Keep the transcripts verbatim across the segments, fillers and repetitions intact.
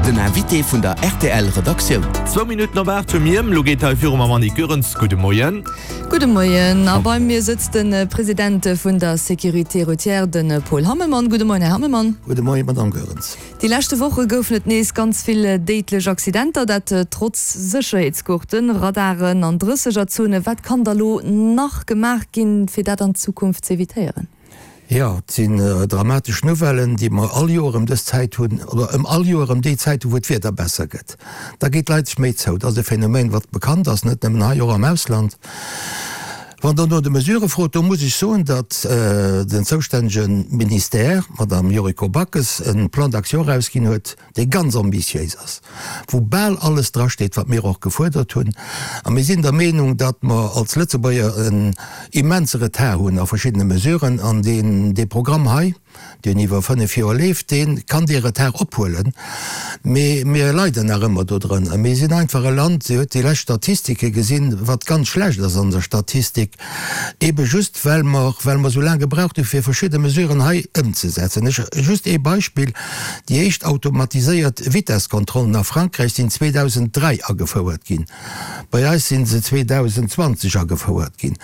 Den Invité vun der R T L Redaktioun. Zwou Minutten op aacht hu mir. Lo geet hei viru mam Annick Goerens. Gudde Moien. Gudde Moien. A bei mir sëtzt de President vun der Sécurité routière, de Paul Hammelmann. Gudde Moien, Här Hammelmann. Gudde Moien, Madame Goerens. Déi leschte Woche goufen et nees ganz vill déidlech Accidenter, dat trotz Sécherheetsgurten, Radaren an Drëssegerzonen. Wat kann da lo nach gemaach ginn, fir dat an Zukunft ze evitéieren? Jo, et sinn dramatesch Nouvellen, déi mer all Joer ëm dës Zäit hunn, oder ëm all Joer ëm déi Zäit hunn, wou d'Wieder besser gëtt. Da geet d'Leit sech méi zou. Dat ass e Phänomen, wat bekannt ass, net nëmmen hei, och am Ausland. Wann Der no de Mesurë frot, do muss ech soen, datt den zoustännege Ministère, d'Madame Yuriko Backes, e Plan d'action erausginn huet, dee ganz ambitiéis ass, wou bal alles drasteet, wat mir och gefuerdert hunn. A mir sinn der Meenung, datt mer als Lëtzebuerger en immense Retard hunn a verschiddene Mesuren, an deen dee Programm hei, deen iwwer fënnef Joer leeft, dee kann dee Retard ophuelen. Mee mir leiden nach ëmmer dodrënner. Mir sinn einfach e Land, Dir hutt déi lescht Statistike gesinn, wat ganz schlecht ass an der Statistik, ebe just well mer, well mer esou laang gebraucht hu fir verschidde Mesuren hei ëmzesetzen. Ech, just ee Beispill, Déi éischt automatiséiert Vitesskontrollen a Frankräich sinn zweedausenddräi agefouert ginn. Bei eis si se zweedausendzwanzeg agefouert ginn.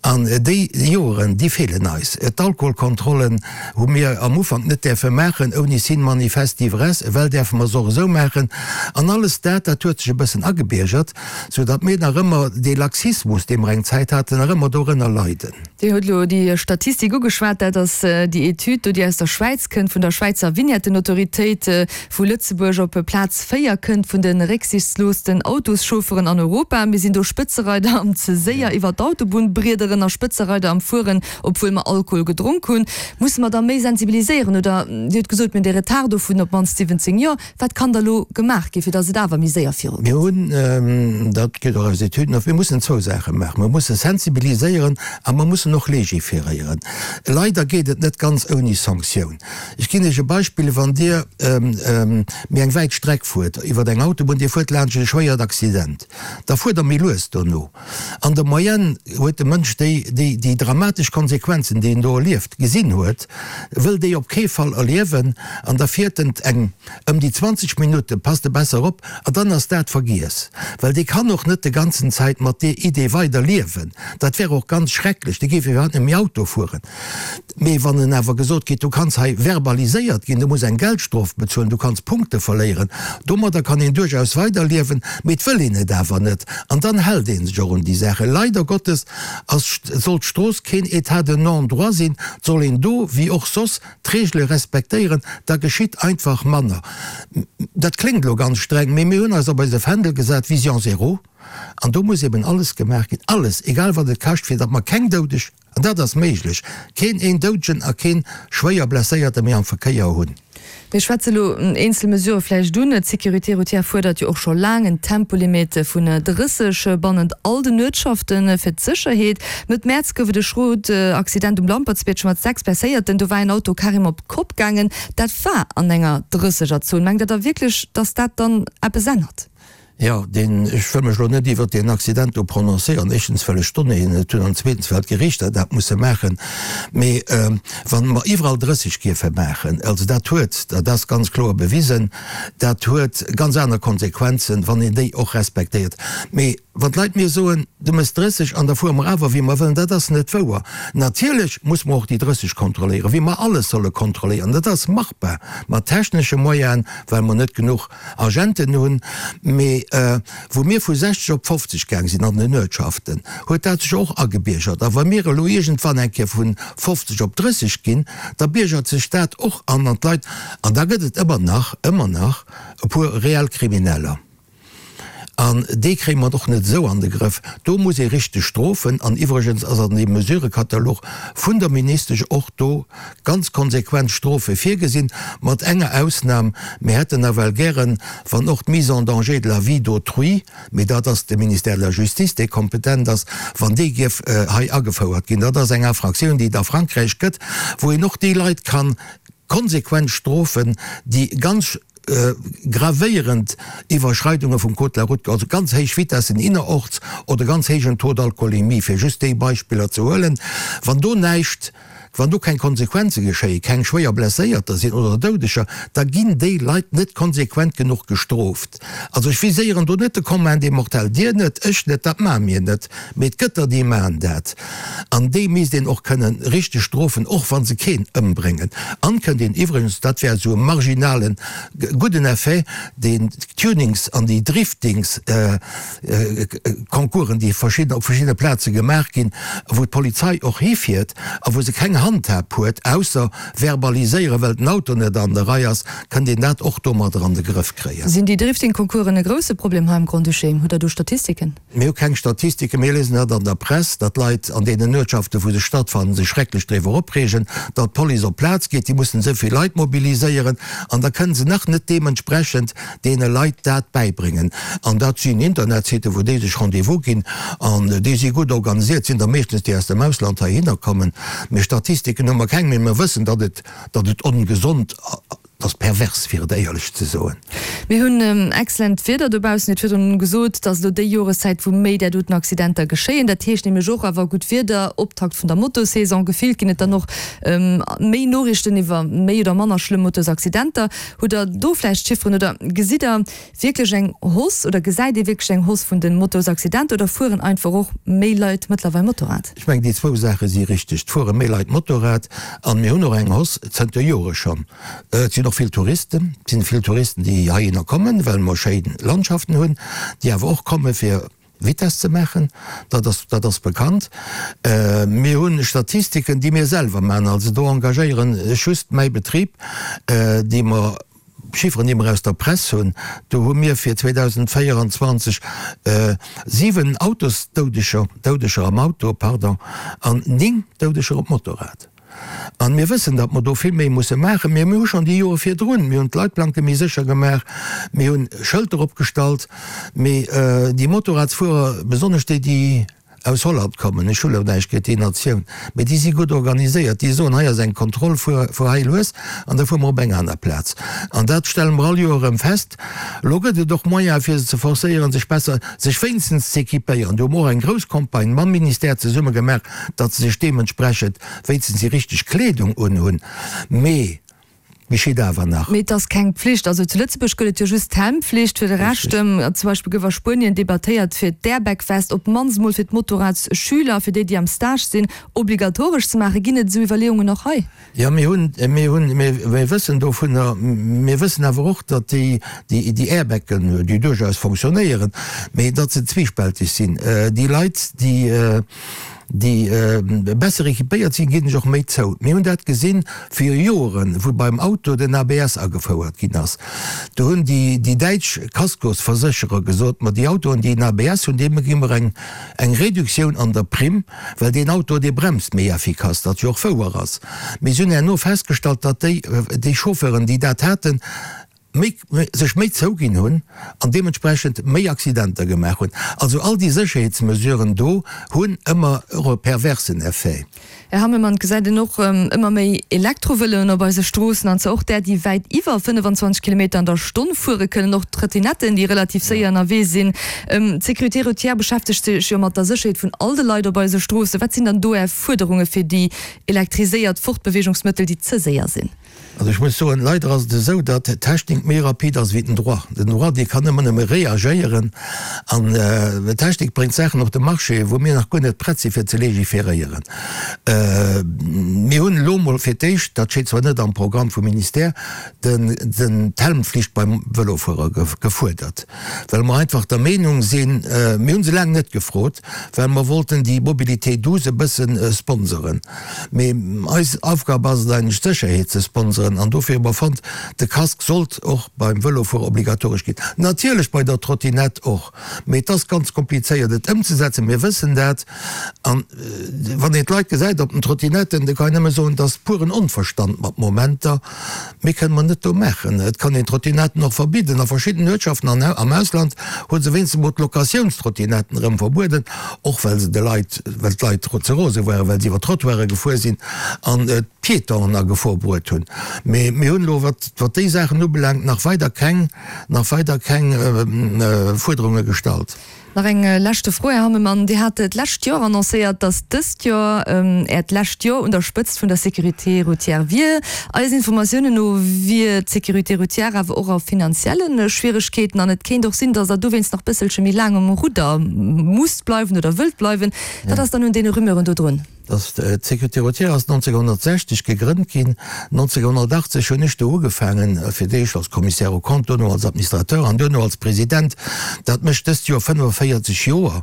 An déi Joren, déi feelen eis. D'Alkoholkontrollen hu mir am Ufank net däerfe maachen ouni Signe manifeste d'ivresse. Ewell däerfe mer se och esou maachen. An alles dat, dat huet sech e bëssen agebiergert, soudatt mir nach ëmmer dee Laxismus, dee mer eng Zäit haten, nach ëmmer dorënner leiden. Dir hutt elo déi Statistik ugeschwat. Dat ass déi Etüd do, déi aus der Schwäiz kënnt, vun der Schwäizer Vignettenautoritéit, wou Lëtzebuerg op Plaz véier kënnt vun de récksichtsloosten Autoschaufferen an Europa. Mir sinn do Spëtzereider am ze séier iwwer d'Autobunn briederen a Spëtzereider am Fueren, obwuel mer Alkohol gedronk hunn. Musse mer da méi sensibiliséieren? Oder Dir hutt gesot, mir hunn dee Retard do vun op d'mannst siwwenzéng Joer. Wat kann da lo gemaach ginn, fir datt et awer méi séier virugeet? Mir hunn, dat geet och aus Etüden ervir, mir mussen zwou Saache maachen. Mir musse sensibiliséieren a mer mussen och légiféréieren. Leider geet et net ganz ouni Sanktioun. Ech ginn Iech e Beispill, Wann Dir méi eng wäit Streck fuert iwwer eng Autobunn, Dir fuert laanscht e schwéiert Accident, da fuert Der méi lues dono. An der Moyenne huet de Mënsch, déi déi dramatesch Konsequenzen, déi en do erlieft, gesinn huet, wëll déi op kee Fall erliewen an da fiert en eng ëm déi zwanzeg Minutte, passt e besser op a dann ass dat vergiess. Well dee kann och net de ganzen Zäit mat deer Idee weider liewen. Dat wär och ganz schrecklech, dee géif iwwerhaapt net méi Auto fueren. Mee wann en awer gesot kritt, du kanns hei verbaliséiert ginn, du muss eng Geldstrof bezuelen, du kanns Punkte verléieren, domadder kann een duerchaus weiderliewen, mee et wëll een et awer net an dann hält ee sech och un déi Saachen. Leider Gottes ass, soll d'Strooss keen État de non-droit sinn, et soll een do, wéi och soss, d'Reegele respektéieren, da geschitt einfach manner. Dat kléngt elo ganz streng, mee mir hunn eis op eise Fändel gesat, Vision zéro, an do muss eben alles gemaach ginn, alles, egal wat et kascht, fir datt mer keng Doudeg, an dat ass méiglech, keen een Doudegen a keen schwéier Blesséierte méi am Verkéier hunn. Mir schwätze elo eenzel Mesurë vläicht un. D'Sécurité routière fuerdert jo och scho laang en Tempolimit vun drësseg bannent all den Uertschafte fir d'Sécherheet. Mëtt Mäerz gouf et e schrot Accident um Lampertsbierg mat sechs Blesséierten. Do war een Auto carrément op d'Kopp gaangen. Dat war an enger Drëssegerzon. Mengt Der da wierklech, datt dat dann eppes ännert? Jo, deen, ech wëll mech elo net iwwert deen Accident do prononcéieren, éischtens well ech d'Donnéeën net hunn an zweetens well d'Gerichter dat musse maachen. Mee wa mer iwwerall drësseg géife maachen, also dat huet, dat ass ganz kloer bewisen, dat huet ganz aner Konsequenzen, wann een déi och respektéiert. Mee wann d'Leit mir soen, du méchs drësseg an da fuere mer awer wéi mer wëllen, dat ass net wouer. Natierlech muss mer och déi drësseg kontrolléieren, wéi mer alles solle kontrolléieren. Dat ass machbar mat technesche Moyenen, well mer net genuch Agenten hunn, mee wou mir vu sechzeg op fofzeg gaang sinn an den Uertschaften, huet dat sech och agebiergert. A wa mir elo iergendwann eng Kéier vu fofzeg op drësseg ginn, da biergert sech dat och an an d'Leit. An da gëtt et ëmmer nach, ëmmer nach e puer reell Krimineller. An déi kréie mer och net esou an de Grëff. Do muss ee richteg strofen. An iwwregens ass an deem Mesurëkatalog vun der Ministesch och do ganz konsequent Strofe virgesinn, mat enger Ausnam, Mir hätten nawell gären, wann och d'Mise en danger de la vie d'autrui, mee dat ass de Ministère de la Justice, dee kompetent ass, wann déi géif hei agefouert ginn. Dat ass eng Infraktioun, déi et a Frankräich gëtt, wou een och déi Leit ka konsequent strofen, déi ganz gravéierend Iwwerschreidunge vum Code de la route, also ganz héich Vitessen innerorts oder ganz héijen Taux d'alcoolémie, fir just déi Beispiller ze huelen. Wann do näischt wann do keng Konsequenze geschéien, keng schwéier Blesséierter sinn oder Doudeger, da ginn déi Leit net konsequent genuch gestrooft. Also ech viséieren do net de Commun des mortels, Dir net, ech net, dat maache mir net, mee et gëtt der, déi maachen dat. An déi misst een och kënnen richteg strofen, och wa se keen ëmbréngen. An kënnt een iwwregens, dat wär esou e marginalen gudden Effet, deen d'Tunings an déi Driftings Concoursen, déi verschidden, op verschiddene Plaze gemaach ginn, wou d'Polizei och hifiert a wou se keng Handhab huet, ausser verbaliséieren, well den Auto net an der Rei ass, kënnt een dat och domadder an de Grëff kréien. Sinn déi Drifting-Concoursen e grousse Problem hei am Grand-Duché? Hutt Der do Statistiken? Mir hu keng Statistiken. Mir liesen dat an der Press, datt Leit an deenen Uertschaften, wou se stattfannen, sech schrecklech driwwer opreegen, datt d'Police op d'Plaz geet, déi mussen esou vill Leit mobiliséieren an da kënne se nach net deementsprechend deene Leit dat bäibréngen. An dat sinn Internetsitten, wou déi sech Rendez-vous ginn an déi si gutt organisiert, sinn der meeschtens déi aus dem Ausland heihinner kommen. Mee Statistiken hu mer keng, mee mer wëssen, datt et, datt et ongesond, ass pervers, fir et éierlech ze soen. Mir hunn excellent Wieder dobaussen. Dir hutt virdrun gesot, et ass elo déi Joreszäit, wou méi där doten Accidenter geschéien. Dat heescht nämlech och awer gutt Wieder, Optakt vun der Motosaison. Gefillt ginn et dann och méi Noriichten iwwer méi oder manner schlëmm Motosaccidenter. Hutt Der do vläicht Chifferen oder gesitt Der wierklech eng Hausse oder gesäit ee wierklech eng Hausse vun de Motosaccidenter oder fueren einfach och méi Leit mëttlerweil Motorrad? Ech mengen, déi zwou Saache si richteg. Et fuere méi Leit Motorrad an mir hunn och eng Hausse zënter Jore schonn. Et sinn och vill Touristen, et sinn vill Touristen, déi heihinner kommen, well mer schéin Landschaften hunn, déi awer och komme fir Vitess ze maachen. Dat ass, dat ass bekannt. Mir hu Statistiken, déi mir selwer maachen, also do engagéieren ech just mäi Betrib, déi mer, Chifferen, déi mer aus der Press hunn, do hu mir fir zweedausendvéierundzwanzeg siwen Autosdoudeger, Doudeger am Auto, pardon, an néng Doudeger op Motorrad. An mir wëssen, datt mer do vill méi musse maachen. Mee mir hu schonn déi Jore virdrun, mir hunn d'Leitplanke méi sécher gemaach, mir hunn Schëlter opgestallt, mee déi Motorradsfuerer, besonnesch déi, déi aus Holland kommen, ech hu lo näischt géint déi Natioun, mee déi si gutt organiséiert, déi soen, hei ass eng Kontroll, fuer, fuer hei lues an da fuere mer op eng aner Plaz. An dat stelle mer all Joer erëm fest. Elo gëtt et och Moyene fir se ze forcéieren, sech besser, sech wéinstens z'équipéieren. Do hu mer och eng grouss Campagne mam Ministère zesumme gemaach, datt se sech deementsprechend wéinstens déi richteg Kleedung unhunn. Mee geschitt awer nach. Mee et ass keng Pflicht. Also zu Lëtzebuerg gëtt et jo just d'Helmflicht. Fir de Rescht, zum Beispill gouf a Spuenien debattéiert, fir d'Airbag-Vest op d'mannst emol fir d'Motorradsschüler, fir déi, déi am Stage sinn, obligatoresch ze maachen. Ginn et esou Iwwerleeungen och hei? Jo, mir hunn, mir hunn, mir, mir wëssen dovunner. Mir wëssen awer och, datt déi, déi, déi Airbagen, déi duerchaus fonctionnéieren, mee datt se zwiespälteg sinn. Déi Leit, déi, déi besser équipéiert sinn, ginn sech och méi zou. Mir hunn dat gesinn viru Joren, wou beim Auto den A B S agefouert ginn ass. Do hunn déi, déi däitsch Kaskosversécherer gesot, ma déi Autoen, déi en A B S hunn, deene gi mer eng, eng Reduktioun an der Primm, well deen Auto, dee bremst méi effikass, wat jo och wouer ass. Mee si hunn herno festgestallt, datt déi, déi Chauffeuren, déi dat haten, méi, sech méi zouginn hunn an deementsprechend méi Accidenter gemaach hunn. Also all déi Sécherheetsmesuren do hunn ëmmer och e perversen Effet. Här Hammelmann, et gesäit een och ëmmer méi Elektrovëloen op eise Stroossen, an zwar och där, déi wäit iwwer fënnefenzwanzeg Kilometer an der Stonn fuere kënnen, och Trottinetten, déi relativ séier ënnerwee sinn. D'Sécurité routière beschäftegt sech jo mat der Sécherheet vun all de Leit op eise Stroossen. Wat sinn dann do Är Fuerderunge fir déi elektriséiert Fortbeweegungsmëttel, déi ze séier sinn? Also ech muss soen, leider ass et esou, datt d'Technik méi rapid ass wéi den Droit. Den Droit, dee kann ëmmer nëmme reagéieren an d'Technik bréngt Saachen op de Marché, wou mir nach guer net prett si fir ze légiféréieren. Mir hunn elo emol fir d'éischt, dat steet zwar net am Programm vum Ministère, den, den, d'Helmflicht beim Vëlofuerer gefuerdert, well mer einfach der Meenung sinn, mir hu se laang net gefrot, well mer wollten déi Mobilité douce e bësse sponsoren. Mee eis Aufgab ass et eigentlech d'Sécherheet ze sponseren an dofir hu mer fonnt, de Casque sollt och beim Vëlofuerer obligatoresch ginn. Natierlech bei der Trottinette och, mee et ass ganz komplizéiert et ëmzesetzen, mir wëssen dat. An wann een d'Leit gesäit op den Trottinetten, da kann een nëmme soen, et ass puren Onverstand mat Momenter. Méi kënne mer net do maachen. Et kann een d'Trottinetten och verbidden. A verschidden Uertschaften an am Ausland hu se wéinstens emol d'Locatiounstrottinetten erëm verbueden, och well se de Leit, well d'Leit ze rose waren, well se iwwer d'Trottoire gefuer sinn an d'Piétonen a Gefor bruet hunn. Mee mir hunn elo, wat wat déi Saachen ubelaangt, nach weider keng, nach weider keng Fuerderunge gestallt. Nach eng leschte Fro, Här Hammelmann. Dir hat d'lescht Joer annoncéiert, datt dëst Joer Äert lescht Joer un der Spëtzt vun der Sécurité routière wier. Eisen Informatiounen no wier d'Sécurité routière awer och a finanzielle Schwieregkeeten an et kéint och sinn, datt Der dowéinst nach bësselche méi laang um Rudder musst bleiwen oder wëllt bleiwen. Wat ass dann un deene Rumeuren do drun? D'Sécurité routière ass nonzénghonnertsechzeg gegrënnt ginn. nonzénghonnertachtzeg hunn ech do ugefaangen, fir d'éischt als Commissaire aux comptes, duerno als Administrateur an duerno als President. Dat mécht dëst Joer fënnefenvéierzeg Joer.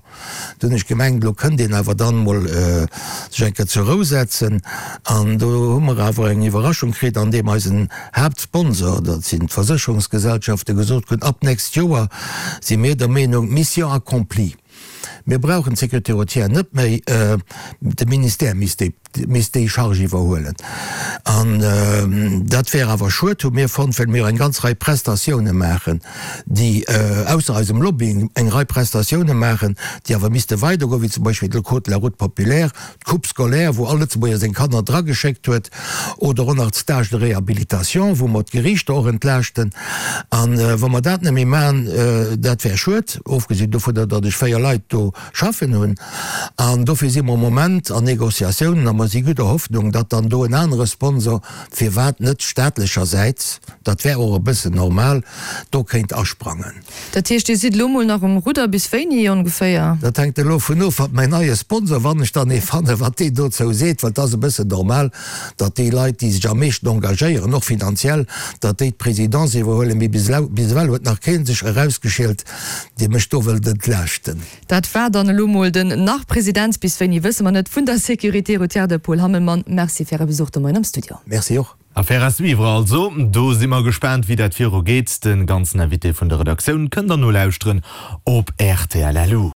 Do hunn ech gemengt, elo kënnt een awer dann emol sech eng Kéier zur Rou setzen. An do hu mer awer eng Iwwerraschung kritt, andeem eisen Haaptsponsor, dat sinn d'Versécherungsgesellschaften, gesot hunn, ab nächst Joer si mir der Meenung, Mission accomplie. Mir brauchen d'Sécurité routière net méi, de Ministère misst déi, misst déi Charge iwwerhuelen. An dat wär awer schued, hu mir fonnt, well mir eng ganz Rei Prestatioune maachen, déi, ausser eisem Lobbying, eng Rei Prestatioune maachen, déi awer misste weidergoen, wéi zum Beispill de Code de la route populaire, d'Coupe scolaire, wou all Lëtzebuerger seng Kanner drageschéckt huet, oder och nach d'Stages de réhabilitation, wou mer d'Geriichter och entlaaschten. An wa mer dat net méi maachen, dat wär schued, ofgesinn dovunner, datt ech véier Leit do schaffen hunn. An dofir si mer am Moment an Négociatiounen a mer si gudder Hoffnung, datt dann do en anere Sponsor, firwat net staatlechersäits, dat wär och e bëssen normal, do kéint asprangen. Dat heescht, Dir sidd elo mol nach um Rudder bis wéini ongeféier? Dat hänkt elo vun of, wat mäin neie Sponsor, wann ech dann ee fannen, wat deen dozou seet, well et ass e bëssen normal, datt déi Leit, déi sech am meeschten engagéieren, och finanziell, datt déi d'Présidence iwwerhuelen. Mee bis ewell huet nach kee sech erausgeschielt, dee mech do wëllt entlaaschten. Dat war dann elo mol den Nach-President, bis wéini wësse mer net, vun der Sécurité routière, de Paul Hammelmann. Merci fir Äre Besuch de Moien am Studio. Merci och. Affaire à suivre also, do si mer gespaant wéi dat viru geet. Den ganzen Invité vun der Redaktioun kënnt der nolauschteren op rtl. Lu.